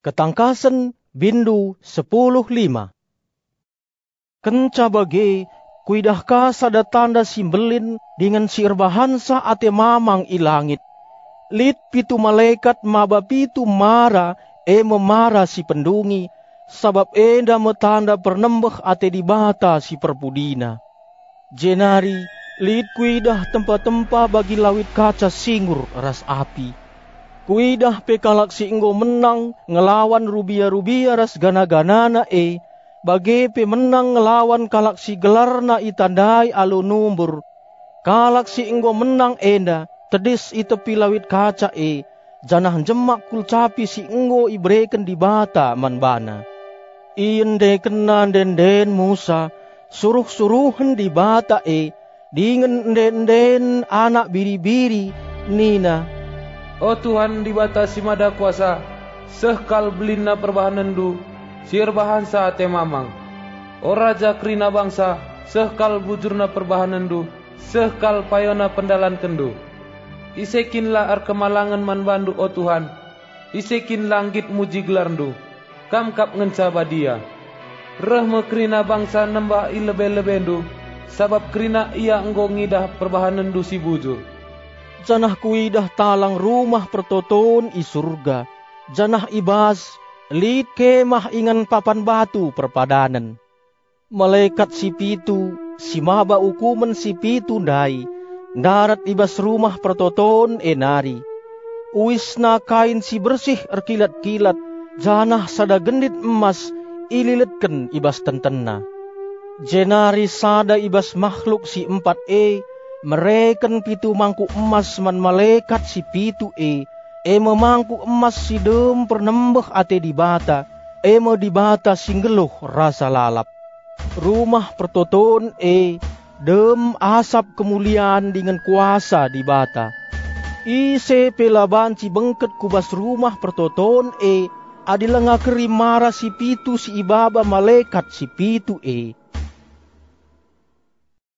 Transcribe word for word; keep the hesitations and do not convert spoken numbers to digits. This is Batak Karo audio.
Ketangkasen, bindu sepuluh lima. Kenca bage, kuidah ka sada tanda si mbelin dingen si erbahansa ate mamang i langit. Lit pitu malekat maba pitu mara, e me mara si pendungi, sabap enda me tanda pernembeh ate Dibata si perpudina. Jenari lit kuidah tempa-tempa bagi lawit kaca singur ras api. Kuidah pe kalak si enggo menang ngelawan rubia-rubia ras gana-ganana e, bage pe menang ngelawan kalak si gelarna itandai alu numbur. Kalak si enggo menang enda tedis i tepi lawit kaca e, janah njemak kulcapi si enggo ibereken Dibata man bana. Iendekenna ende-enden Musa, suruh-suruhen Dibata e, dingen ende-enden Anak Biri-biri, nina, "O Tuhan Dibata si Mada Kuasa, seh kal belinna perbahanenNdu si erbahansa ate mamang. O Raja kerina bangsa, seh kal bujurna perbahanenNdu, seh kal payona pendalankenndu. Ise kin la erkemalangen man bandu, o Tuhan? Ise kin la nggit muji gelarndu? Kam kap ngenca badia. Reh me kerina bangsa nembah i lebe-lebendu, sabap kerina ia enggo ngidah perbahanenndu si bujur." Janah kuidah talang rumah pertoton i Surga, janah i bas lit kemah ingan papan batu perpadanen. Malekat si pitu, si maba ukumen si pitu ndai, ndarat i bas rumah pertoton e nari. Uisna kain si bersih erkilat-kilat, janah sada gendit emas ililetken i bas tentenna. Jenari sada i bas makhluk si empat e mereken pitu mangkuk emas man malekat si pitu e, e me mangkuk emas si dem pernembeh ate Dibata, e me Dibata si nggeluh rasa lalap. Rumah pertoton e dem asap kemulian dingen kuasa Dibata. Ise pe la banci bengket ku bas rumah pertoton e adi langa keri mara si pitu si ibaba malekat si pitu e.